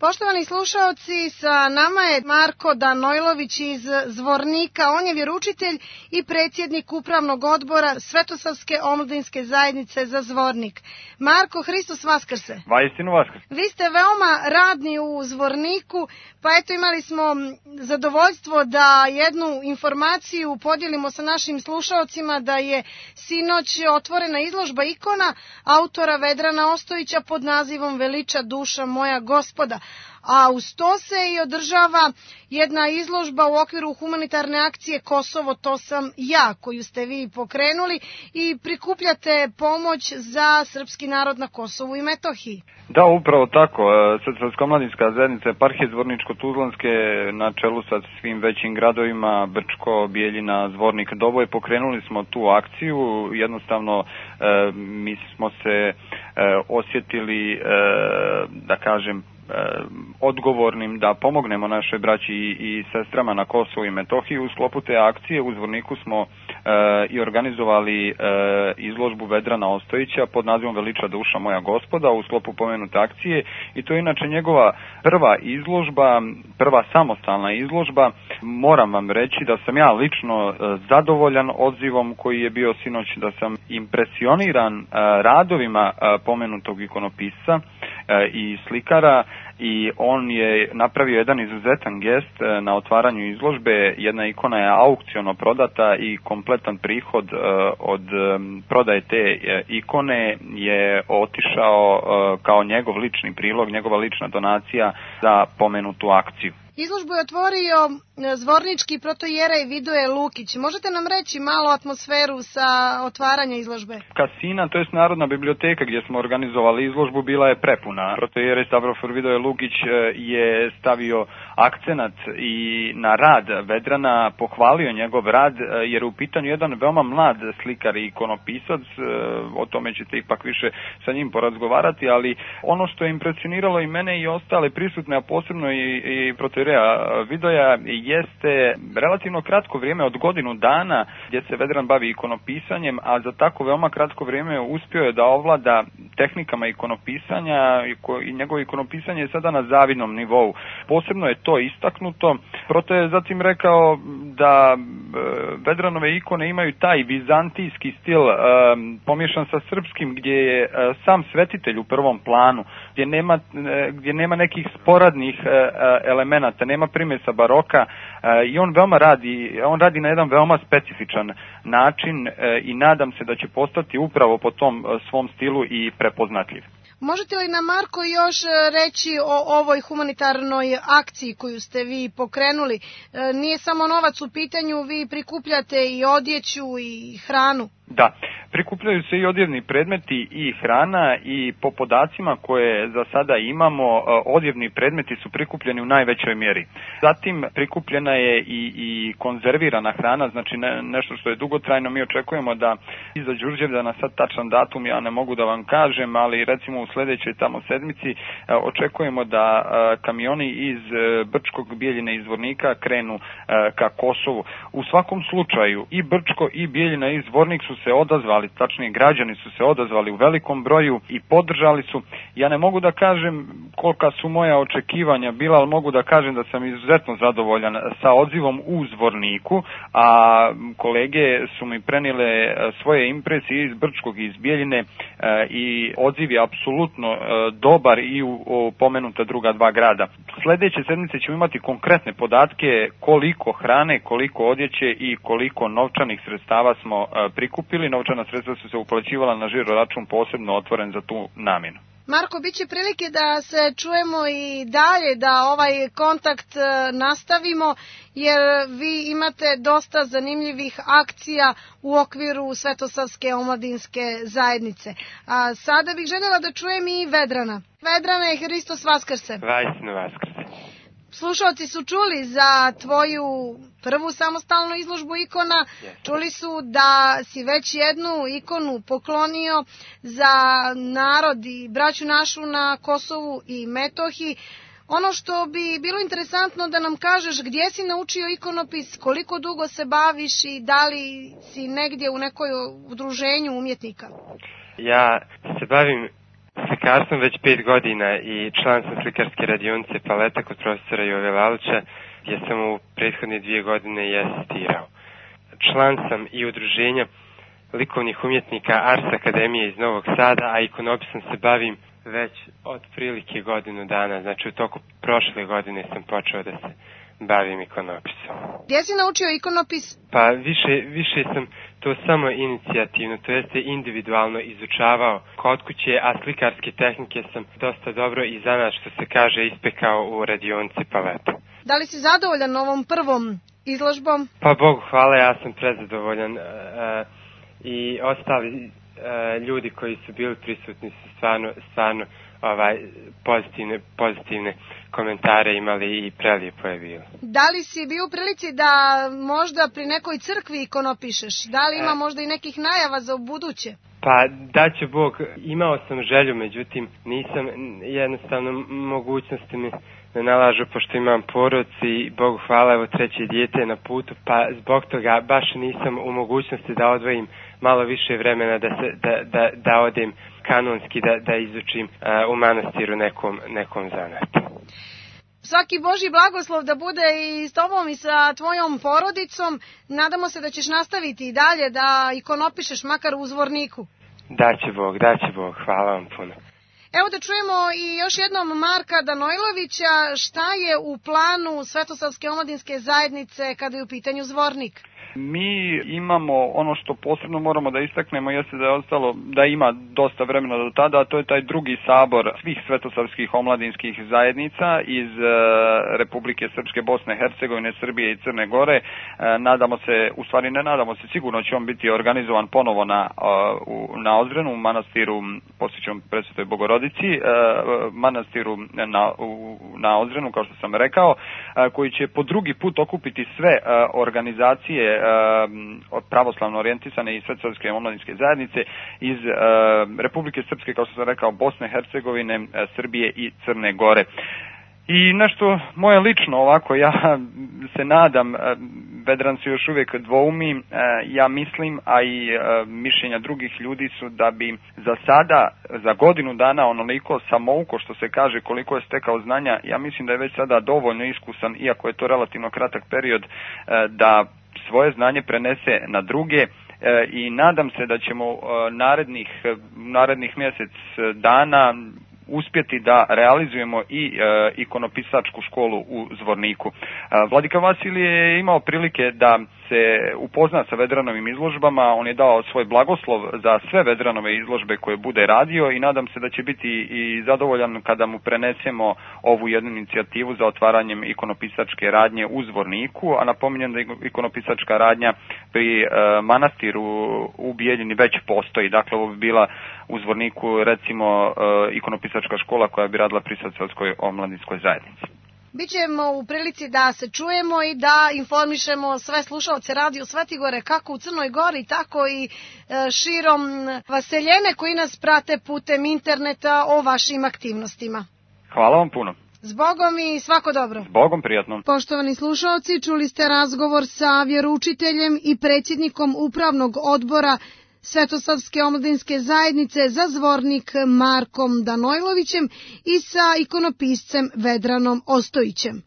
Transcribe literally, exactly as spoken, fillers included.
Poštovani slušaoci, sa nama je Marko Danojlović iz Zvornika. On je vjeroučitelj i predsjednik upravnog odbora Svetosavske omladinske zajednice za Zvornik. Marko, Hristos vaskrse. Vaistinu vaskrse. Vi ste veoma radni u Zvorniku, pa eto imali smo zadovoljstvo da jednu informaciju podijelimo sa našim slušaocima da je sinoć otvorena izložba ikona autora Vedrana Ostojića pod nazivom Veliča duša moja Gospoda. A uz to se i održava jedna izložba u okviru humanitarne akcije Kosovo, to sam ja, koju ste vi pokrenuli i prikupljate pomoć za srpski narod na Kosovu i Metohiji. Da, upravo tako. Srpska omladinska zajednica Eparhije Zvorničko-Tuzlanske na čelu sa svim većim gradovima Brčko, Bijeljina, Zvornik, Doboj, pokrenuli smo tu akciju. Jednostavno mi smo se osjetili, da kažem, odgovornim da pomognemo našoj braći i sestrama na Kosovu i Metohiji. U sklopu te akcije u Zvorniku smo e, i organizovali e, izložbu Vedrana Ostojića pod nazivom Veliča duša moja Gospoda u sklopu pomenute akcije i to je inače njegova prva izložba, prva samostalna izložba. Moram vam reći da sam ja lično e, zadovoljan odzivom koji je bio sinoć, da sam impresioniran e, radovima e, pomenutog ikonopisca e, i slikara, i on je napravio jedan izuzetan gest na otvaranju izložbe. Jedna ikona je aukciono prodata i kompletan prihod od prodaje te ikone je otišao kao njegov lični prilog, njegova lična donacija za pomenutu akciju. Izložbu je otvorio zvornički protojerej Vidoje Lukić. Možete nam reći malo atmosferu sa otvaranja izložbe? Kasina, to je Narodna biblioteka gdje smo organizovali izložbu, bila je prepuna. Protojerej Stavrofor Vidoje Lukić je stavio akcenat i na rad Vedrana, pohvalio njegov rad jer je u pitanju jedan veoma mlad slikar i ikonopisac, o tome ćete ipak više sa njim porazgovarati, ali ono što je impresioniralo i mene i ostale prisutne, a posebno i, i protojerej Vidoja, jeste relativno kratko vrijeme od godinu dana gdje se Vedran bavi ikonopisanjem, a za tako veoma kratko vrijeme uspio je da ovlada tehnikama ikonopisanja i njegovo ikonopisanje je sada na zavidnom nivou. Posebno je to istaknuto. Proto je zatim rekao da Vedranove ikone imaju taj vizantijski stil pomiješan sa srpskim, gdje je sam svetitelj u prvom planu, gdje nema, gdje nema nekih sporadnih elemenata, nema primjesa baroka i on veoma radi, on radi na jedan veoma specifičan način i nadam se da će postati upravo po tom svom stilu i prepoznatljiv. Možete li nam, Marko, još reći o ovoj humanitarnoj akciji koju ste vi pokrenuli? Nije samo novac u pitanju, vi prikupljate i odjeću i hranu. Da, prikupljaju se i odjevni predmeti i hrana i po podacima koje za sada imamo, odjevni predmeti su prikupljeni u najvećoj mjeri. Zatim prikupljena je i, i konzervirana hrana, znači ne, nešto što je dugotrajno. Mi očekujemo da iza Đurđevdana, sad tačan datum ja ne mogu da vam kažem, ali recimo u sljedećoj tamo sedmici očekujemo da kamioni iz Brčkog, Bijeljine i Zvornika krenu ka Kosovu. U svakom slučaju i Brčko i Bijeljina i Zvornik su se odazvali, tačnije građani su se odazvali u velikom broju i podržali su. Ja ne mogu da kažem kolika su moja očekivanja bila, ali mogu da kažem da sam izuzetno zadovoljan sa odzivom u Zvorniku, a kolege su mi prenijele svoje impresije iz Brčkog i iz Bijeljine i odziv je apsolutno dobar i u, u pomenuta druga dva grada. Sljedeće sedmice ćemo imati konkretne podatke koliko hrane, koliko odjeće i koliko novčanih sredstava smo prikupili. Novčana sredstva su se uplaćivala na žiro račun posebno otvoren za tu namjenu. Marko, bit će prilike da se čujemo i dalje, da ovaj kontakt nastavimo, jer vi imate dosta zanimljivih akcija u okviru Svetosavske omladinske zajednice. A sada bih željela da čujem i Vedrana. Vedrane, Hristos vaskrse. Vaistinu vaskrse. Slušalci su čuli za tvoju prvu samostalnu izložbu ikona, čuli su da si već jednu ikonu poklonio za narod i braću našu na Kosovu i Metohiji. Ono što bi bilo interesantno da nam kažeš gdje si naučio ikonopis, koliko dugo se baviš i da li si negdje u nekoj udruženju umjetnika? Ja se bavim Slikar sam već pet godina i član sam slikarske radionice Paleta kod profesora Jove Lalića, gdje sam u prethodne dvije godine i asistirao. Član sam i udruženja likovnih umjetnika Ars Akademije iz Novog Sada, a ikonopisom se bavim već od prilike godinu dana. Znači u toku prošle godine sam počeo da se bavim ikonopisom. Gdje si naučio ikonopis? Pa više, više sam to samo inicijativno, to jeste individualno izučavao kod kuće, a slikarske tehnike sam dosta dobro i zanat, što se kaže, ispekao u radionici Paleta. Da li si zadovoljan ovom prvom izložbom? Pa Bogu hvala, ja sam prezadovoljan. E, e, I ostali e, ljudi koji su bili prisutni su stvarno, stvarno ovaj, pozitivne, pozitivne komentare imali i prelijepo je bilo. Da li si bio u prilici da možda pri nekoj crkvi ikonopišeš? Da li ima možda i nekih najava za buduće? Pa da će Bog, imao sam želju, međutim nisam, jednostavno mogućnosti mi ne nalažu pošto imam porodicu i Bogu hvala, evo treće dijete je na putu, pa zbog toga baš nisam u mogućnosti da odvojim malo više vremena da se da da da odem kanonski da da izučim uh, u manastiru nekom nekom zanatu. Svaki Božji blagoslov da bude i s tobom i sa tvojom porodicom. Nadamo se da ćeš nastaviti i dalje da ikonopišeš makar u Zvorniku. Daće Bog, daće Bog, hvala vam puno. Evo da čujemo i još jednom Marka Danojlovića, šta je u planu Svetosavske omladinske zajednice kada je u pitanju Zvornik? Mi imamo ono što posebno moramo da istaknemo, jeste da je ostalo, da ima dosta vremena do tada, a to je taj drugi sabor svih svetosavskih omladinskih zajednica iz e, Republike Srpske, Bosne, Hercegovine, Srbije i Crne Gore. E, nadamo se, u stvari ne nadamo se, sigurno će on biti organizovan ponovo na, u, na Ozrenu, u manastiru posvećenom Presvetoj Bogorodici, e, manastiru na, u, na Ozrenu, kao što sam rekao, e, koji će po drugi put okupiti sve e, organizacije pravoslavno orijentisane i svetosavske omladinske zajednice iz Republike Srpske, kao što sam rekao, Bosne, Hercegovine, Srbije i Crne Gore. I nešto moje lično ovako, ja se nadam, Vedran se još uvijek dvoumi, ja mislim, a i mišljenja drugih ljudi su da bi za sada, za godinu dana, onoliko samouko što se kaže koliko je stekao znanja, ja mislim da je već sada dovoljno iskusan, iako je to relativno kratak period, da svoje znanje prenese na druge e, i nadam se da ćemo e, narednih, narednih mjesec dana uspjeti da realizujemo i e, ikonopisačku školu u Zvorniku. E, Vladika Vasilije je imao prilike da se upozna sa Vedranovim izložbama, on je dao svoj blagoslov za sve Vedranove izložbe koje bude radio i nadam se da će biti i zadovoljan kada mu prenesemo ovu jednu inicijativu za otvaranjem ikonopisačke radnje u Zvorniku, a napominjem da ikonopisačka radnja pri e, manastiru u Bijeljini već postoji, dakle ovo bi bila u Zvorniku recimo e, ikonopisačka škola koja bi radila pri Svetosavskoj omladinskoj zajednici. Bićemo u prilici da se čujemo i da informišemo sve slušalce Radio Svetigore kako u Crnoj Gori, tako i širom Vaseljene koji nas prate putem interneta o vašim aktivnostima. Hvala vam puno. Zbogom i svako dobro. Zbogom, prijatno. Poštovani slušalci, čuli ste razgovor sa vjeroučiteljem i predsjednikom upravnog odbora Svetosavske omladinske zajednice za Zvornik Markom Danojlovićem i sa ikonopiscem Vedranom Ostojićem.